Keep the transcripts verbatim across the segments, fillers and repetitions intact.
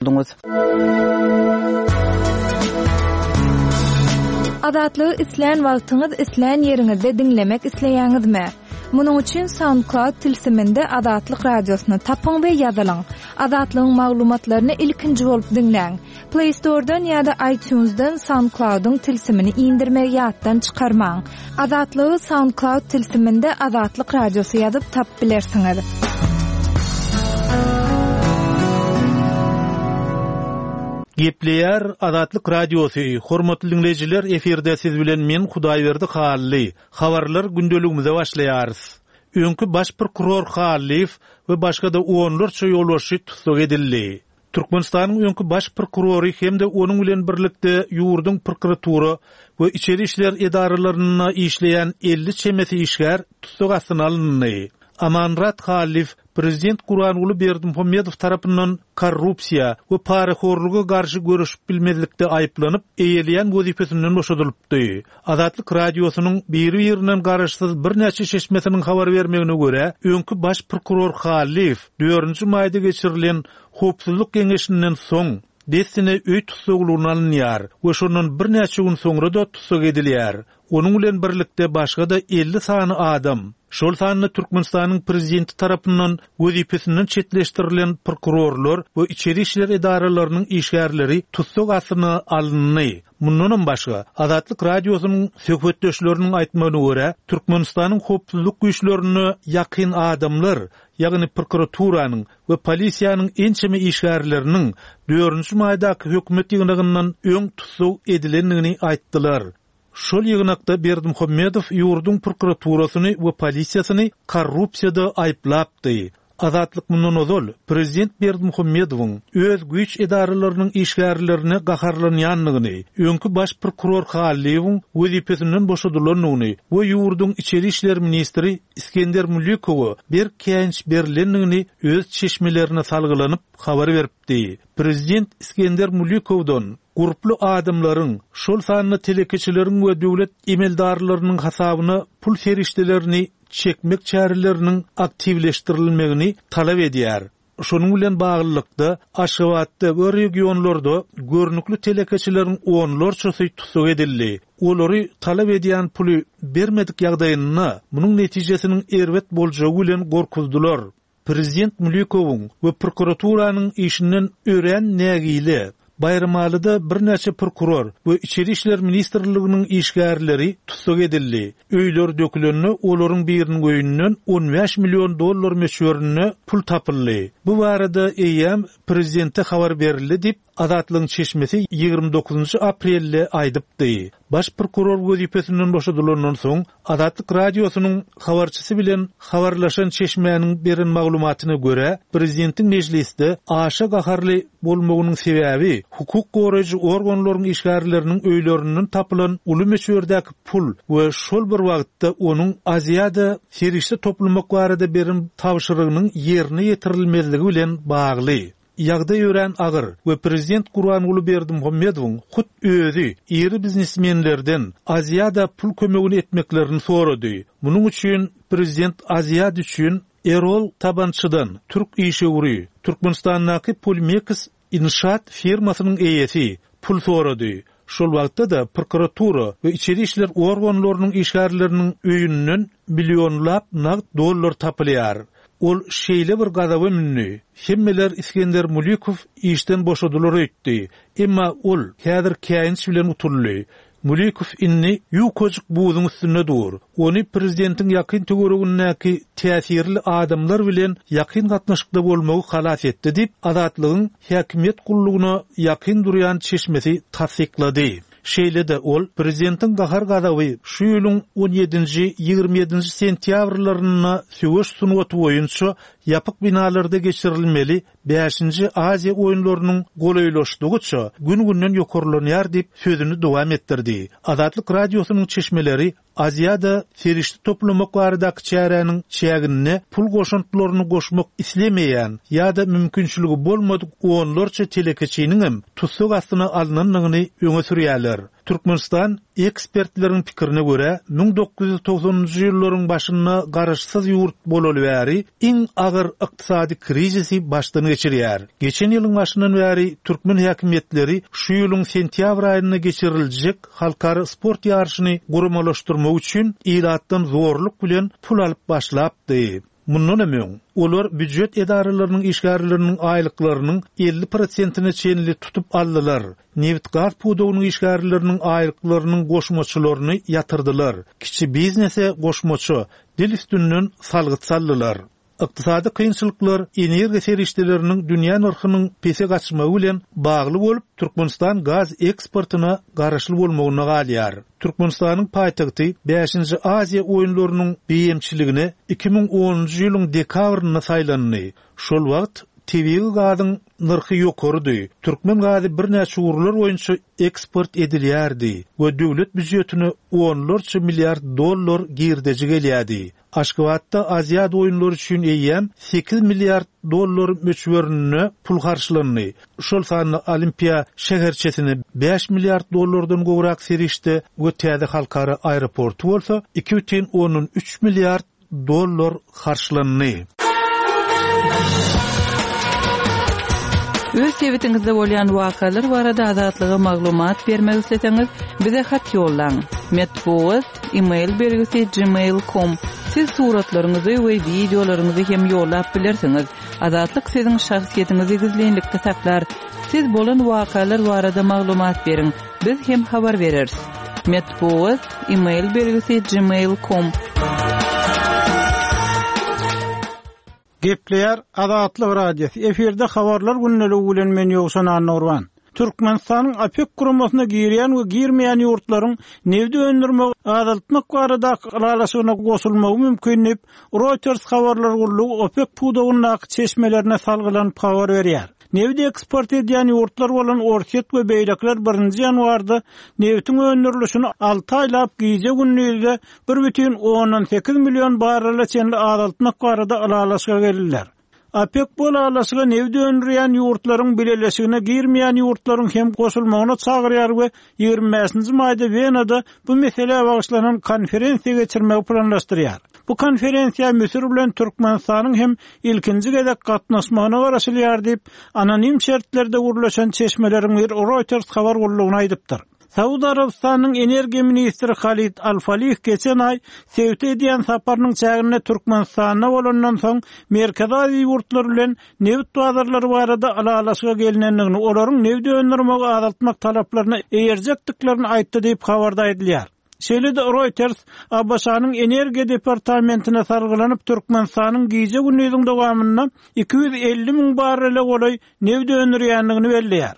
Bolduňyz. Azatlygy islän wagtyňyz, islän ýeriňizde diňlemek isleýäňizmi? Munuň üçin SoundCloud tilsiminde Azatlyk radiosyny tapyň we ýazylyň. Azatlygyň maglumatlaryny ilkinji bolup diňläň. Play Store'dan ýa-da iTunes'dan SoundCloud'yň tilsimini indirmegi ýatdan çykarmaň. Azatlygy SoundCloud tilsiminde Azatlyk radiosy ýazyp tapyp bilersiňiz. Gepleýär Azatlyk Radiosy, hormatly diňleýjiler, efirde siz bilen men Hudaýberdi Hally. Habarlar gündeligimize başlaýarys. Öňki baş prokuror Hallyýew we başga-da onlarça ýolbaşçy tussag edildi. Türkmenistanyň öňki baş prokurory hem-de onuň bilen birlikde ýurduň prokuratura we içeri işler edaralarynda işleýän elli çemesi işgär tussag astyna alyndy. Amanmyrat Hallyýew prezident Gurbanguly Berdimuhamedow tarapyndan korrupsiýa we parahorluga garşy göreşip bilmezlikde aýyplanyp, eýeleýän wezipesinden boşadylypdy. Azatlyk Radiosynyň biri-birinden garaşsyz birnäçe çeşmesiniň habar bermegine görä, öňki baş prokuror Hallyýew dördünji maýda geçirilen Howpsuzlyk geňeşinden soň dessine öý tussaglygyna alynýar we şondan birnäçe gün soňra-da tussag edilýär. Onuň bilen birlikde başga-da elli sany adam, şol sanda Türkmenistanyň prezidenti tarapyndan wezipesinden çetleşdirilen prokurorlar we içeri işler edaralarynyň işgärleri tussag astyna alyndy. Mundanam başga, Azatlyk Radiosynyň söhbetdeşleriniň aýtmagyna görä, Türkmenistanyň howpsuzlyk güýçlerine ýakyn adamlar, ýagny prokuraturanyň we polisiýanyň ençeme işgärleriniň dördünji maýdaky hökümet ýygnagyndan öň tussag edilendigini aýtdylar. Şol ýygnakda Berdimuhamedow ýurduň prokuraturasyny we polisiýasyny korrupsiýada aýyplapdy. Azatlyk mundan ozal prezident Berdimuhamedowyň öz güýç edaralarynyň işgärlerine gaharlanýandygyny, öňki baş prokuror Hallyýewiň wezipesinden boşadylandygyny we ýurduň içeri işler ministri Iskender Mulikowa berk käýinç berilendigini öz çeşmelerine salgylanyp habar beripdi. Prezident Iskender Mulikowdan gurply adamlaryň, şol sanda telekeçileriň we döwlet emeldarlarynyň hasabyna pul serişdelerini çekmek çäreleriniň aktiwleşdirilmegini talap edýär. Şonuň bilen baglylykda Aşgabatda we regionlarda görnükli telekeçileriň onlarçasy tussag edildi. Olary talap edýän puly bermedik ýagdaýynda munuň netijesiniň erbet boljagy bilen gorkuzdylar. Prezident Mulikowyň we prokuraturanyň işinden örän nägile Baýramalyda birnäçe prokuror we içeri işler ministrliginiň işgärleri tussag edildi. Öýler dökülende olaryň biriniň öýünden on bäş million dollar möçberinde pul tapyldy. Bu barada eýýäm prezidente habar berildi diýip, Azatlygyň çeşmesi ýigrimi dokuzynjy aprelde aýdypdy. Baş prokuror wezipesinden boşadylandan soň Azatlyk Radiosynyň habarçysy bilen habarlaşan çeşmäniň beren maglumatyna görä, prezidentiň mejlisde aşa gaharly bolmagynyň sebäbi hukuk goraýjy organlaryň işgärleriniň öýlerinden tapylan uly möçberdäki pul we şol bir wagtda onuň Aziýada serişde toplamak barada beren tabşyrygynyň ýerine ýetirilmezligi bilen bagly. Ýagdaý örän agyr we prezident Gurbanguly Berdimuhamedowyň hut özi iri biznesmenlerden Aziýada pul kömegini etmeklerini sorady. Munuň üçin prezident Aziýad üçin Erol Tabançydan, türk işewüri, Türkmenistandaky Pulmeks inşaat firmasynyň eýesi pul sorady. Şol wagtda-da prokuratura we içeri işler organlarynyň işgärleriniň öýünden millionlap nagt dollar tapylýar. Ol şeýle bir gazaba mündi. Hemmeler Iskender Mulikow işden boşadylar öýtdi. Emma ol häzir käýinç bilen utuldy. Mulikow indi ýukajyk buzuň üstünde dur. Ony prezidentiň ýakyn töweregindäki täsirli adamlar bilen ýakyn gatnaşykda bolmagy halas etdi diýip, Azatlygyň häkimiýet gullugyna ýakyn durýan çeşmesi tassyklady. Şeýle-de ol prezidentiň gahar gazaby şu ýylyň on ýedinji, ýigrimi ýedinji sentýabrlarynda söweş sungaty boýunça ýapyk binalarda geçirilmeli bäşinji Aziýa oýunlarynyň golaýlaşdygyça gün-günden ýokarlanýar diýip sözüni dowam etdirdi. Azatlyk Radiosynyň çeşmeleri Aziýada serişde toplamak baradaky çäräniň çäginde pul goşantlaryny goşmak islemeýän ýa-da mümkinçiligi bolmadyk onlarça telekeçiniň hem tussag astyna alynandygyny öňe sürýärler. Türkmenistan ekspertleriň pikirine görä müň dokuz ýüz togsanynjy ýyllaryň başynda garaşsyz ýurt bolaly bäri iň agyr ykdysady krizisi başdan geçirýär. Geçen ýylyň başyndan bäri türkmen häkimiýetleri şu ýylyň sentýabr aýynda geçiriljek halkara sport ýaryşyny guramalaşdyrmak üçin ilatdan zorluk bilen pul alyp başlapdy. Mundan hem öň, olar býujet edaralarynyň işgärleriniň aýlyklarynyň elli prosentine çenli tutup aldylar. Nebit gaz pudagynyň işgärleriniň aýlyklarynyň goşmaçalaryny ýatyrdylar. Kiçi biznese goşmaça dil üstünden salgyt saldylar. Ykdysady kynçylyklar energiýa serişdeleriniň dünýä nyrhynyň pese gaçmagy bilen bagly bolup, Türkmenistan gaz eksportyna garaşly bolmagyna galýar. Türkmenistanyň paýtagty bäşinji Aziýa oýunlarynyň beýemçiligine iki müň onunjy ýylyň dekabrynda saýlandy. Şol wagt tebigy gazyň nyrhy ýokarydy. Türkmen gazy birnäçe ugurlar boýunça eksport edilýärdi we döwlet býujetine onlarça milliard dollar girdeji gelýärdi. Aşgabatda Aziýa oýunlary üçin eýýäm sekiz milliard dollar möçberinde pul harçlandy. Şol sanda Olimpiýa şäherçesine bäş milliard dollardan gowrak serişde we täze halkara aeroporty bolsa iki bütin ondan üç milliard dollar harçlandy. Öz sebitiňizde bolýan wakalar barada azatlyga maglumat bermek isleseňiz, bize hat ýollaň. Metbugat, e-mail belgisi gmail nokta com. Siz suratlaryňyzy we wideolaryňyzy hem ýollap bilersiňiz. Azatlyk siziň şahsyýetiňizi gizlinlikde saklar. Siz bolan wakalar barada maglumat beriň. Biz hem habar bereris. Metbugat, e-mail belgisi gmail nokta com. Gepleýär Azatlyk Radiosy. Efirde habarlar gündeligi bilen men Ýowşan Annurban. Türkmenistanyň OPEC guramasyna girýän we girmeýän ýurtlaryň nebit öndürmegi azaltmak baradaky ylalaşygyna goşulmagy mümkin diýip, Reuters habarlar gullugy OPEC pudagyndaky çeşmelerine salgylanyp habar berýär. Nebit eksport edýän ýurtlar bolan Orsýet we beýlekiler birinji ýanwarda nebitiň öndürilişini alty aýlap gije gündizde bir bütin ondan sekiz million barrela çenli azaltmak barada ylalaşyga geldiler. OPEC bu ylalaşyga nebit öndürýän ýurtlaryň bileleşigine girmeýän ýurtlaryň hem goşulmagyna çagyrýar we ýigrimi bäşinji maýda Wenada bu meselä bagyşlanan konferensiýa geçirmegi planlaşdyrýar. Bu konferensiýa Müsür bilen Türkmenistanyň hem ilkinji gezek gatnaşmagyna garaşylýar diýip, anonim şertlerde gurlaşan çeşmeleriň bir Reuters habar gullugyna aýdypdyr. Saud Arabystanyň energiýa ministri Halid Al-Falih geçen aý sebite edýän saparynyň çäginde Türkmenistanda bolandan soň Merkezi Aziýa ýurtlary bilen nebit bazarlary barada ylalaşyga gelinendigini, olaryň nebit öndürmegi azaltmak talaplaryna eýerjekdiklerini aýtdy diýip habarda aýdylýar. Şeýle-de Reuters A B Ş-nyň energiýa departamentine salgylanyp Türkmenistanyň gije gündiziň dowamynda iki ýüz elli müň barrele golaý nebit öndürýändigini belleýär.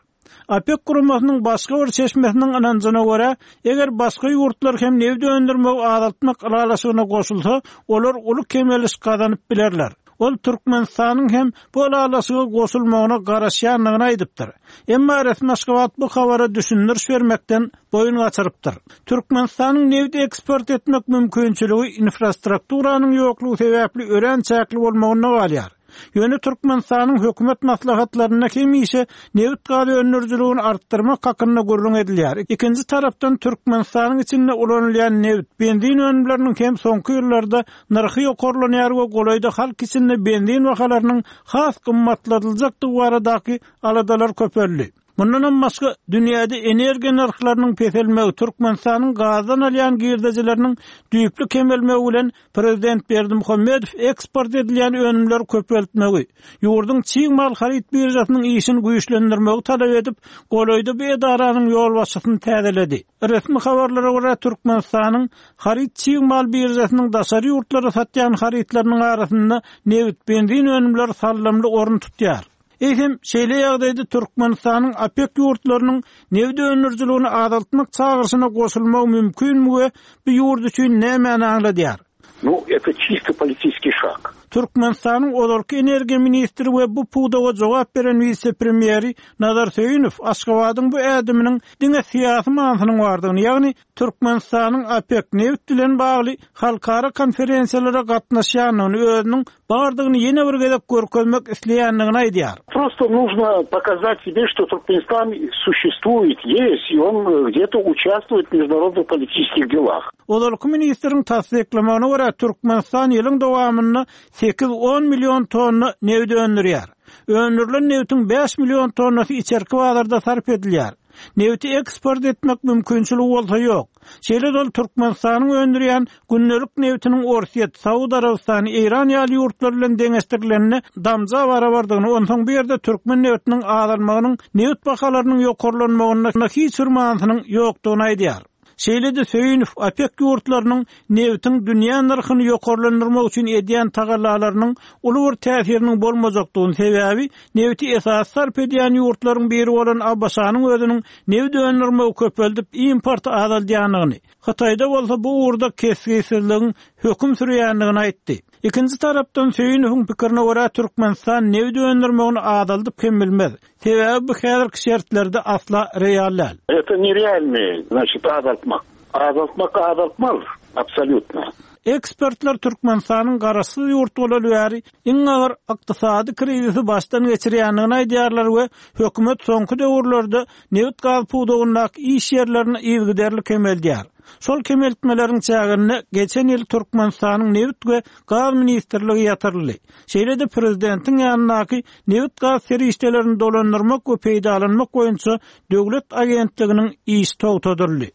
OPEC guramasynyň başga bir çeşmesiniň ynanjyna görä, eger başga ýurtlar hem nebit öndürmegi azaltmak ylalaşygyna goşulsa, olar uly kemeliş gazanyp bilerler. Ol Türkmenistanyň hem bu ylalaşyga goşulmagyna garaşýandygyny aýdypdyr. Emma resmi Aşgabat bu habara düşündiriş bermekden boýun gaçyrypdyr. Türkmenistanyň nebit eksport etmek mümkinçiligi infrastrukturanyň ýoklugy sebäpli örän çäkli bolmagyna galýar. Ýöne Türkmenistanyň hökümet maslahatlarynda hemişe nebit gaz öndürijiligini artdyrmak hakynda gürrüň edilýär. Ikinji tarapdan Türkmenistanyň içinde ulanylýan nebit, benzin önümleriniň hem soňky ýyllarda nyrhy ýokarlanýar we golaýda halk içinde benzin bahalarynyň has gymmatladyljakdygy baradaky aladalar köpeldi. Mundan hem başga dünýäde energiýa nyrhlarynyň peselmegi, Türkmenistanyň gazdan alýan girdejileriniň düýpli kemelmegi bilen Prezident Berdimuhamedow eksport edilýän önümleri köpeltmegi, ýurduň çig mal haryt biržasynyň işini güýçlendirmegi talap edip, golaýda bu edaranyň ýolbaşçysyny täzeledi. Resmi habarlara görä Türkmenistanyň haryt çig mal biržasynyň daşary ýurtlara satýan harytlarynyň arasynda nebit, benzin önümleri sallamly orun tutýar. Eýsem, şeýle ýagdaýda Türkmenistanyň OPEC ýurtlarynyň nebit öndürijiligini azaltmak çagyryşyna goşulmagy mümkinmi we bu ýurt üçin nämäni aňladýar? Ну, это чисто политический шаг. Türkmenistanyň ozalky energiýa ministri we bu pudaga jogap beren wise-premýeri Nazar Söýünow Aşgabadyň bu ädiminiň diňe syýasy manysynyň bardygyny, ýagny Türkmenistanyň OPEK nebit bilen bagly halkara konferensiýalara gatnaşýandygyny, özüniň bardygyny ýene bir gezek görkezmek isleýändigini aýdýar. Просто нужно показать себе, что Туркменистан существует, есть, и он где-то участвует в международных политических делах. Ozalky ministriň tassyklamagyna görä, Türkmenistan ýylyň dowamynda sekiz-on million tonna nebit öndürýär. Öndürilen nebitiň bäş million tonnasy içerki bazarda sarp edilýär. Nebiti eksport etmek mümkinçiligi bolsa ýok. Şeýle-de ol Türkmenistanyň öndürýän gündelik nebitiniň Orsýet, Saud Arabystany, Eýran ýaly ýurtlar bilen deňeşdirilende damja barabardygyny, onsoň bu ýerde türkmen nebitiniň azalmagynyň nebit bahalarynyň ýokarlanmagynda hiç bir manysynyň ýokdugyny aýdýar. Şeýle-de Söýünow OPEK ýurtlarynyň nebitiň dünýä nyrhyny ýokarlandyrmak üçin edýän tagallalarynyň uly bir täsiriniň bolmajakdygyny, sebäbi nebiti esasy sarp edýän ýurtlaryň biri bolan ABŞ-nyň özüniň nebit öndürmegi köpeldip importy azaldýandygyny, Hytaýda bolsa bu ugurda kesgitsizligiň höküm sürýändigini aýtdy. Ikinji tarapdan Söýünowyň pikirine görä Türkmenistan nebit öndürmegini azaldyp hem bilmez. Sebäbi bu häzirki şertlerde asla real däl. Это нереальный, значит, azaltmak. Azaltmak azaltmaz, абсолютно. Ekspertler Türkmenistanyň garaşsyz ýurt bolaly bäri iň agyr ykdysady krizisi başdan geçirýändigini aýdýarlar we hökümet soňky döwürlerde nebit gaz pudagyndaky iş ýerlerini yzygiderli kemeldýär. Şol kemeltmeleriň çäginde geçen ýyl Türkmenistanyň nebit we gaz ministrligi ýatyryldy. Şeýle-de prezidentiň ýanyndaky nebit gaz serişdelerini dolandyrmak we peýdalanmak boýunça döwlet agentliginiň işi togtadyldy.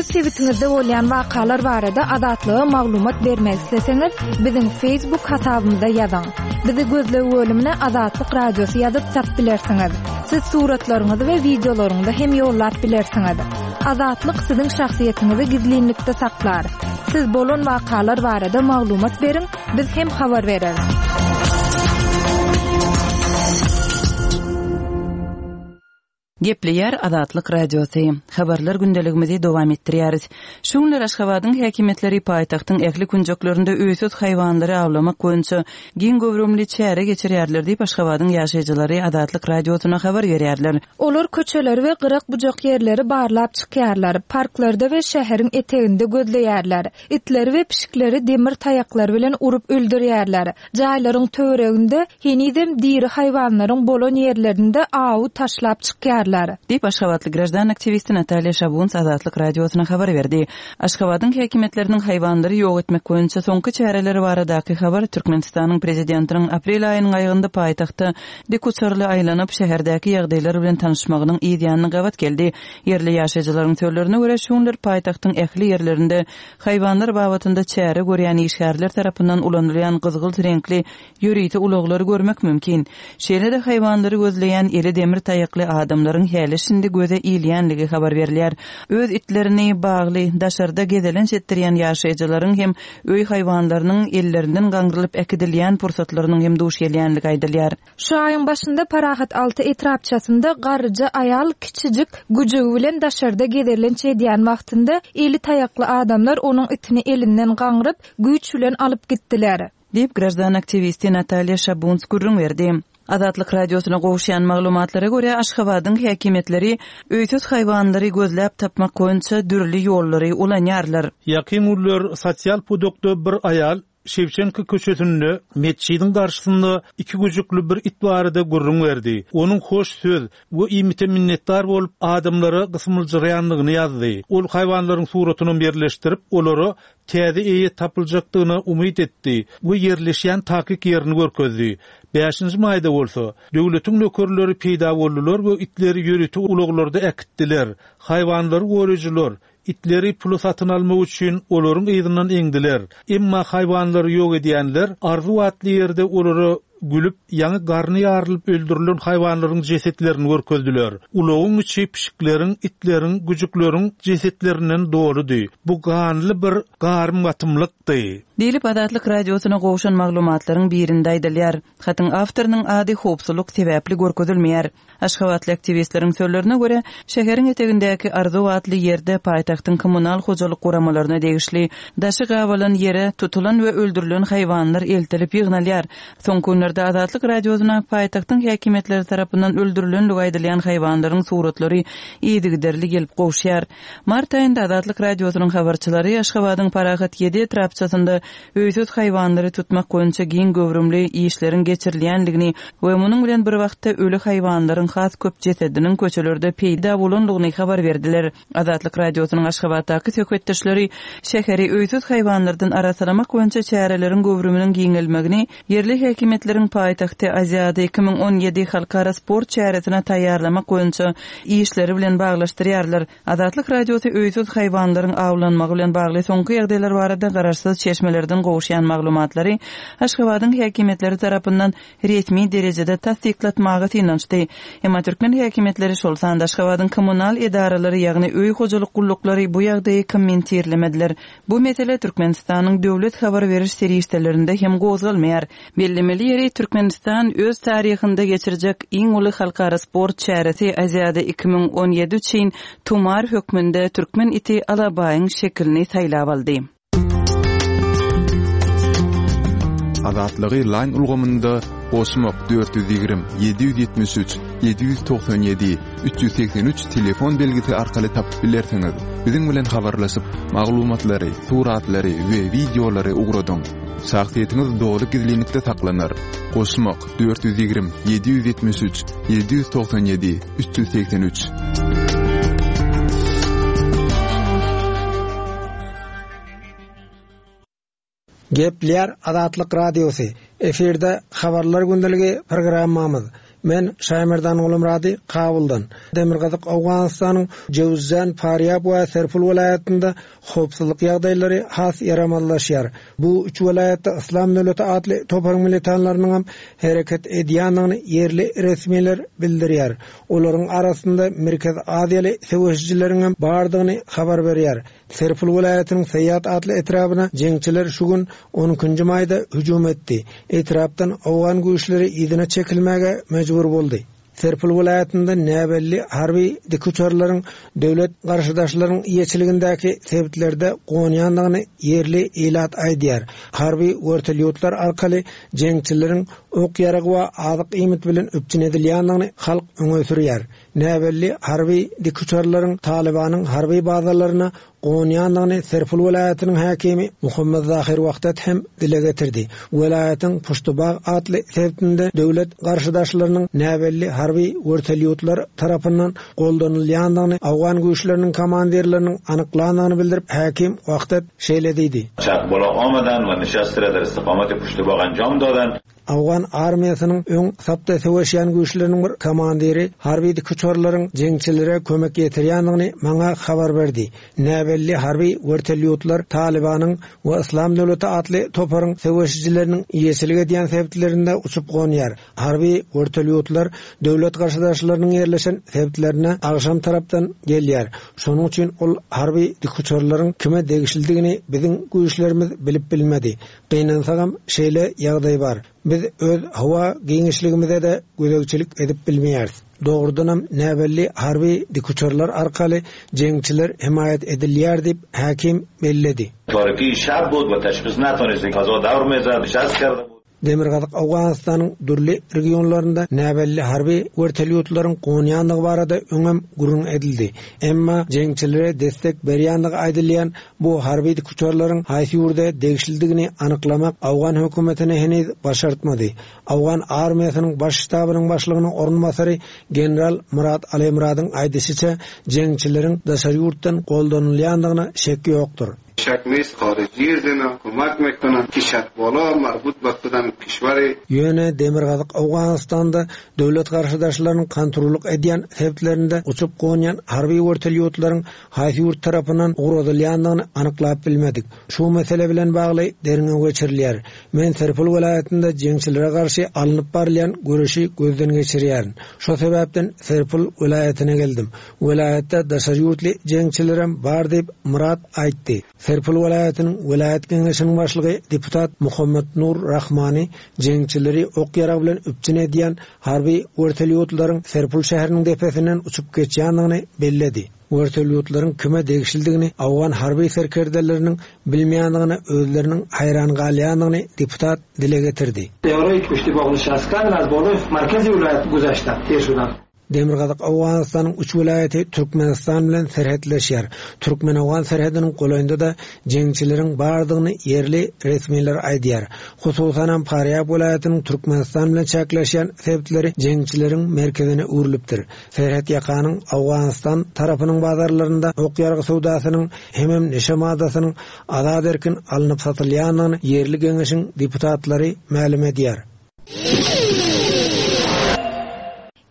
Öz sebitiňizde bolýan wakalar barada Azatlyga maglumat bermek isleseňiz, biziň Facebook hasabymyza ýazyň. Bizi gözleg bölümine Azatlyk radiosy ýazyp tap bilersiňiz. Siz suratlaryňyzy we wideolaryňyzy hem ýollap bilersiňiz. Azatlyk siziň şahsyýetiňizi gizlinlikde saklar. Siz bolan wakalar barada maglumat beriň, biz hem habar bereris. Gepleýär Azatlyk radiosy. Habarlar gündeligimizi dowam etdirýäris. Şu günler Aşgabadyň häkimiýetleri paýtagtyň ähli künjeklerinde öýsüz haýwanlary awlamak boýunça giň göwrümli çäre geçirýärler diýip Aşgabadyň ýaşaýjylary Azatlyk radiosyna habar berýärler. Olar köçeleri we gyrak bujak ýerleri barlap çykýarlar, parklarda we şäheriň eteginde gözleýärler. Itleri we pişikleri demir taýaklar bilen urup öldürýärler. Jaýlaryň töwereginde henizem diri haýwanlaryň bolan ýerlerinde awy taşlap çykýarlar. Diýip Aşgabatly grajdan aktiwisti Natalýa Şabuns Azatlyk radiosyna habar berdi. Aşgabadyň häkimiýetleriniň haýwanlary ýok etmek boýunça soňky çäreleri baradaky habar Türkmenistanyň prezidentiniň aprel aýynyň aýagynda paýtagtda dikuçarly aýlanyp şäherdäki ýagdaýlar bilen tanyşmagynyň yz ýanyna gabat geldi. Ýerli ýaşaýjylaryň sözlerine görä şu günler paýtagtyň ähli ýerlerinde haýwanlar babatynda çäre görýän işgärler tarapyndan ulanylýan gyzgylt reňkli ýörite ulaglary görmek mümkin. Şeýle-de haýwanlary gözleýän eli demir taýakly adamlaryň häli şindi göze ilýänligi habar berilýär. Öz itlerini bagly daşarda gezelenç etdirýän ýaşaýjylaryň hem öý haýwanlarynyň ellerinden gaňrylyp äkidilýän pursatlarynyň hem duş gelýänligi aýdylýar. Şu aýyň başynda Parahat alty etrapçasynda garryja aýal kiçijik güjügi bilen daşarda gezelenç edýän wagtynda eli taýakly adamlar onuň itini elinden gaňryp güýç bilen alyp gitdiler. Diýip grajdan aktiwisti Natalýa Şabuns gürrüň berdi. Azatlyk radiosyna gowuşýan maglumatlara görä Aşgabadyň häkimiýetleri öýsüz haýwanlary gözläp tapmak boýunça dürli ýollary ulanýarlar. Ýakyn günler sosial pudakda bir aýal Şewçenko köçesinde metjidiň garşysynda iki güjükli bir it barada gürrüň berdi. Onuň hoş söz we iýmite minnetdar bolup adamlara gysmyljyraýandygyny ýazdy. Ol haýwanlaryň suratyny ýerleşdirip, olara täze eýe tapyljakdygyna umyt etdi we ýerleşýän takyk ýerini görkezdi. Bäşinji maýda bolsa, döwletiň nökerleri peýda boldular we itleri ýörite ulaglarda äkitdiler. Haýwanlary goraýjylar itleri puly satyn almak üçin olaryň yzyndan eňdiler. Emma haýwanlary ýok edýänler arzuw atly ýerde olara gülüp, ýaňy garny ýarylyp öldürilen haýwanlaryň jesetlerini görkezdiler. Ulagyň içi pişikleriň, itleriň, güjükleriň jesetlerinden doludy. Bu ganly bir garym gatymlykdy. Diýlip Azatlyk Radiosyna gowşan maglumatlaryň birinde aýdylýar. Hatyň awtorynyň ady howpsuzlyk sebäpli görkezilmeýär. Aşgabatly aktiwistleriň sözlerine görä, şäheriň etegindäki Arzuw atly ýerde paýtagtyň kommunal hojalyk guramalaryna degişli daşy gabalan ýere tutulan we öldürilen haýwanlar eltilip ýygnalýar. Soňky günlerde Azatlyk Radiosyna paýtagtyň häkimiýetleri tarapyndan öldürilenligi aýdylýan haýwanlaryň suratlary yzygiderli gelip gowşýar. Mart aýynda Azatlyk Radiosynyň habarçylary Aşgabadyň Parahat ýedi etrapçasynda öýsüz haýwanlary tutmak boýunça giň göwrümli işleriň geçirilýänligini we munuň bilen bir wagtda öli haýwanlaryň has köp jesediniň köçelerde peýda bolanlygyny habar berdiler. Azatlyk Radiosynyň Aşgabatdaky söhbetdeşleri şäheri öýsüz haýwanlardan arassalamak boýunça çäreleriň göwrüminiň giňelmegini ýerli häkimiýetleriň paýtagty Aziada iki müň on ýedi halkara sport çäresine taýýarlamak boýunça işleri bilen baglaşdyrýarlar. Azatlyk Radiosy öýsüz haýwanlaryň awlanmagy bilen bagly soňky ýagdaýlar barada garaşsyz çeşmelerden gowuşýan maglumatlary Aşgabadyň häkimiýetleri tarapyndan resmi derejede tassyklatmaga synanyşdy. Emma türkmen häkimiýetleri şol sanda Aşgabadyň kommunal edaralary, ýagny öý hojalyk gulluklary bu ýagdaýy kommentirlemediler. Bu mesele Türkmenistanyň döwlet habar beriş serişdelerinde hem gozgalmaýar. Bellemeli ýeri Türkmenistan öz taryhynda geçirjek iň uly halkara sport çäresi Aziada iki müň on ýedi üçin tumar hökmünde türkmen iti Alabaýyň şekilini saýlap aldy. Azatlygy line ulgamynda goşmak dört ýüz ýigrimi, ýedi ýüz ýetmiş üç, ýedi ýüz togsan ýedi, üç ýüz segsen üç telefon belgisi arkaly tapyp bilersiňiz. Biziň bilen habarlaşyp, maglumatlary, suratlary we wideolary ugradyň. Şahsyýetiňiz doly gizlinlikde saklanar. Goşmak dört ýüz ýigrimi, ýedi ýüz ýetmiş üç, ýedi ýüz togsan ýedi, üç ýüz segsen üç. Gepler Azatlyk Radiosy. Efirde Habarlar Gündeligi programmamyz. Men Şaýmerdan Gulumrady Kabuldan. Demirgazyk Owganystanyň Jewzjan, Farýab we Serpul welaýatynda howpsuzlyk ýagdaýlary has ýaramazlaşýar. Bu üç welaýatda Islam döwleti atly toparyň militanlarynyň hem hereket edýändigini ýerli resmiler bildirýär. Olaryň arasynda Merkez Aziýaly söweşijileriň hem bardygyny habar berýär. Serpul welaýatynyň Seýat atly etrabyna jeňçiler şu gün on ikinji maýda hüjüm etdi. Etrapdan Owgan güýçleri yzyna çekilmäge mejbur boldy. Serpul welaýatynda näbelli harby dikuçarlaryň döwlet garşydaşlaryň eýeçiligindäki sebitlerde gonýandygyny ýerli ilat aýdýar. Harby wertolýotlar arkaly jeňçileriň ok ýaragy we azyk iýmit bilen üpjün edilýändigini halk öňe sürýär. Näbelli harby dikuçarlaryň Talibanyň harby bazalaryna gonýandygyny Serpul welaýatynyň häkimi Muhammed Zahir Wahdat hem dile getirdi. Welaýatyň Puştubag atly sebitinde döwlet garşydaşlarynyň näbelli harby wertolýotlar tarapyndan goldanylýandygyny Awgan güýçleriniň komandirleriniň anyklandygyny bildirip häkim Wahdat şeýle diýdi. Çakbola omadan we nişast ra dar istiqomat Puştubag anjam dadan. Awgan armiýasynyň öň sapda söweşýän güýçleriniň bir komandiri harby dikuçarlaryň jeňçilere kömek ýetirýändigini maňa habar berdi. Näbelli harby wertolýotlar Talibanyň we Islam döwleti atly toparyň söweşijileriniň eýeçilik edýän sebitlerinde uçup gonýar. Harby wertolýotlar döwlet garşydaşlarynyň ýerleşen sebitlerine agşam tarapdan gelýär. Şonuň üçin ol harby dikuçarlaryň kime degişlidigini biziň güýçlerimiz bilip bilmedi. Gynansagam şeýle ýagdaý bar. Biz öz howa giňişligimize de gözegçilik edip bilmeýäris. Dogrudanam näbelli harby dikuçarlar arkaly jeňçiler himaýat edilýär diýip häkim belledi. Tariki şab bud we teşhis natanist fazo dawr mezad şas kerdi. Demirgazyk Owganystanyň dürli regionlarynda näbelli harby wertolýotlaryň gonýandygy barada öňem gürrüň edildi. Emma jeňçilere destek berýändigi aýdylýan bu harby dikuçarlaryň haýsy ýurda degişlidigini anyklamak Awgan hökümetine heniz başartmady. Awgan armiýasynyň baş ştabynyň başlygynyň orunbasary general Murat Alemuradyň aýdyşyça jeňçileriň daşary ýurtdan goldanylýandygyna şek ýokdur. شک نیست خارجی زنا کمک میکنن ki بالا مربوط به کدام کشور Ýöne Demirgazyk Owganystanda döwlet garşydaşlarynyň kontrollyk edýän sebäplerinde uçup gonýan harby wertolýotlaryň haýsy ýurt tarapyndan ugradylýandygyny anyklap bilmedik. Şu mesele bilen bagly derňew geçirilýär. Men Serpil welaýatynda jeňçilere garşy alnyp barylýan göreşi gözden geçirýärin. Şu sebäpden Serpil welaýatyna geldim. Welaýatda daşary ýurtly jeňçilerem bar diýip Murat aýtdy. Serpil welaýatynyň welaýat geňeşiniň başlygy deputat Muhammed Nur Rahmani jeňçileri ok ýarag bilen üpjün edýän harby wertolýotlaryň Serpil şäheriniň depesinden uçup geçýändigini belledi. Wertolýotlaryň kime degişlidigini Awgan harby serkerdeleriniň bilmeýändigini özleriniň haýran galýandygyny deputat dile getirdi. طیاره‌ای که پشت باغ نشستن از بالای مرکز ولایت گذشتن تیر شدن Demirgazyk Owganystanyň üç welaýaty Türkmenistan bilen serhetleşýär. Türkmen-Owgan serhediniň golaýynda da jeňçileriň bardygyny ýerli resmiler aýdýar. Hususan Farýab welaýatynyň Türkmenistan bilen çäkleşýän sebäpleri jeňçileriň merkezine öwrülipdir. Serhet ýakanyň Owganystan tarapynyň bazarlarynda ok ýargy söwdasynyň hemem neşe maddasynyň azat erkin alnyp satylýandygyny ýerli geňeşiň deputatlary mälim edýär.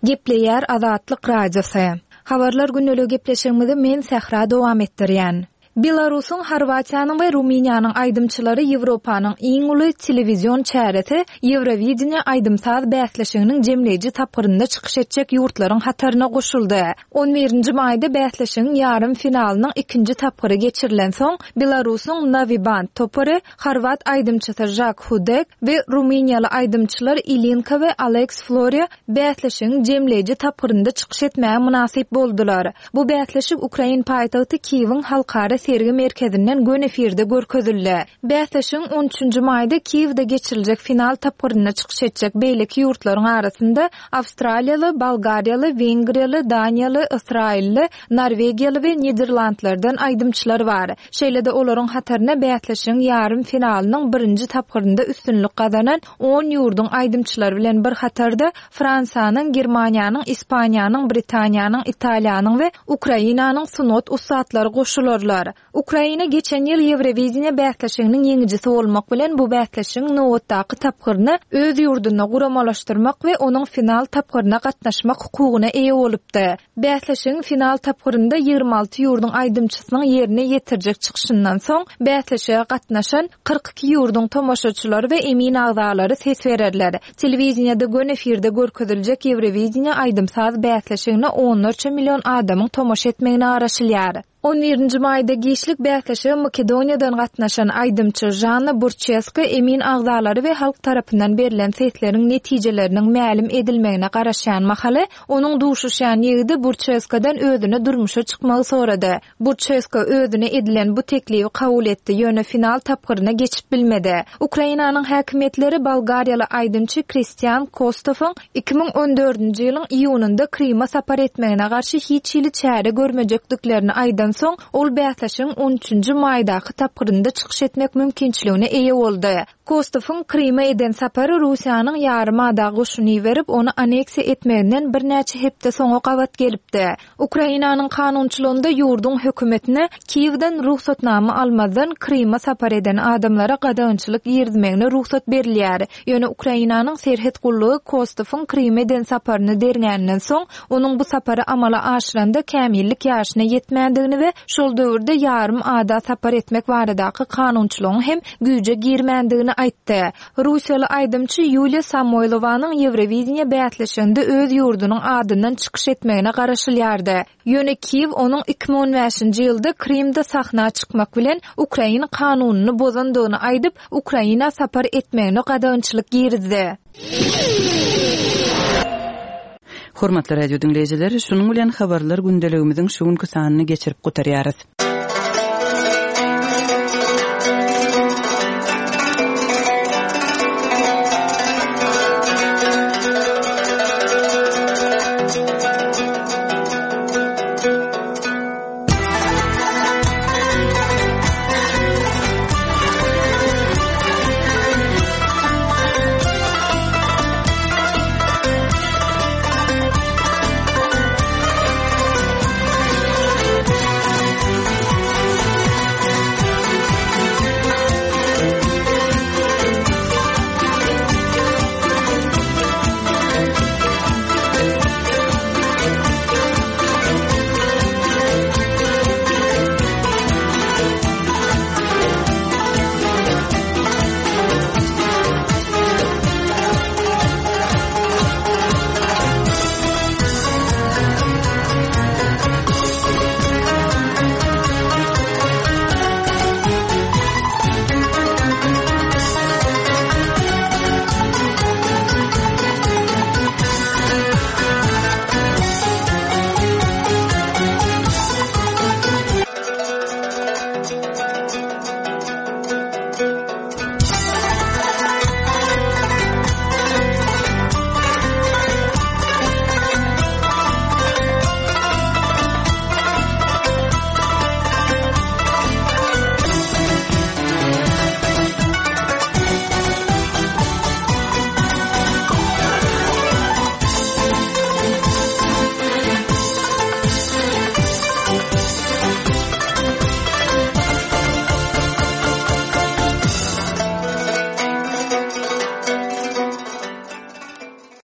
Gepleýär Azatlyk Radiosy. Habarlar günlügi gepleşigimizi men Sähra dowam etdirýän. Belarusyň, Horwatiýanyň we Rumyniýanyň aýdymçylary Ýewropanyň iň uly telewizion çäresi Ýewrovideniýe aýdym-saz bäsleşiginiň jemleýji tapgyrynda çykyş etjek ýurtlaryň hataryna goşuldy. On birinji maýda bäsleşigiň ýarym finalynyň ikinji tapgyry geçirilen soň Belarusyň Naviband topary Horwat aýdymçysy Žak Hudek we Rumyniýaly aýdymçylar Ilinka we Alex Floria bäsleşigiň jemleýji tapgyrynda çykyş etmäge mynasyp boldular. Bu bäsleşik Ukrain paýtagty Kiýewiň halkara sergi merkezinden gön efirde görkezildi. Bäsleşigiň on üçünji maýda Kiýewde geçiriljek final tapgyrynda çykyş etjek beýleki ýurtlaryň arasynda Awstraliýaly, Bolgariýaly, Wengriýaly, Daniýaly, Ysraýylly, Norwegiýaly we Niderlandlardan aýdymçylar bar. Şeýle-de olaryň hataryna bäsleşigiň ýarym finalynyň birinji tapgyrynda üstünlik gazanan on ýurduň aýdymçylary bilen bir hatarda Fransiýanyň, Germaniýanyň, Ispaniýanyň, Britaniýanyň, Italiýanyň we Ukrainanyň sungat ussatlary goşularlar. Ukraina geçen ýyl Ýewrovideniýe bäsleşiginiň ýeňijisi bolmak bilen bu bäsleşigiň nobatdaky tapgyryny öz ýurdunda guramalaşdyrmak we onuň final tapgyryna gatnaşmak hukugyna eýe bolupdy. Bäsleşigiň final tapgyrynda ýigrimi alty ýurduň aýdymçysynyň ýerine ýetirjek çykyşyndan soň bäsleşige gatnaşan kyrk iki ýurduň tomaşaçylary we emin agzalary ses bererler. Telewiziyada gön efirde görkeziljek Ýewrovideniýe aýdym-saz bäsleşigine onlarça million adamyň tomaşa etmegine garaşylýar. On birinji maýda giçlik bäsleşige Makedoniýadan gatnaşan aýdymçy Jana Burçeska emin agzalary we halk tarapyndan berlen sesleriň netijeleriniň mälim edilmegine garaşýan mahaly onuň duşuşýan ýigidi Burçeskadan özüne durmuşa çykmagy sorady. Burçeska özüne edilen bu teklifi kabul etdi, ýöne final tapgyryna geçip bilmedi. Ukrainanyň häkimiýetleri Bolgariýaly aýdymçy Kristian Kostowyň iki müň on dördünji ýylyň iýunynda Krima sapar etmegine garşy hiç hili çäre görmejekdiklerini aýdan soň ol bäsleşigiň on üçünji maýdaky tapgyrynda çykyş etmek mümkinçiligine eýe boldy. Kostowyň Krima eden sapary Russiýanyň ýarym ada goşuny berip, ony aneksiýa etmeginden birnäçe hepde soňa gabat gelipdi. Ukrainanyň kanunçylygynda ýurduň hökümetine Kiýewden ruhsatnama almazdan Krima sapar eden adamlara gadagançylyk girizmegine ruhsat berilýär. Ýöne Ukrainanyň serhet gullugy Kostowyň Krima eden saparyny derňäninden soň onuň bu sapary amala aşyranda kämillik ýaşyna ýetmändigini we şol döwürde ýarym ada sapar etmek baradaky kanunçylygyň hem güýje girmändigini aýtdy. Russiýaly aýdymçy Ýuliýa Samoýlowanyň Ýewrovideniýe bäsleşiginde öz ýurdunyň adyndan çykyş etmegine garaşylýardy. Ýöne Kiýew onuň iki müň on bäşinji ýylda Krimde sahna çykmak bilen Ukraina kanunyny bozandygyny aýdyp, Ukraina sapar etmegine gadagançylyk girizdi. Hormatly radio diňleýjiler, şunuň bilen habarlar gündeligimiziň şu günki sanyny geçirip gutarýarys.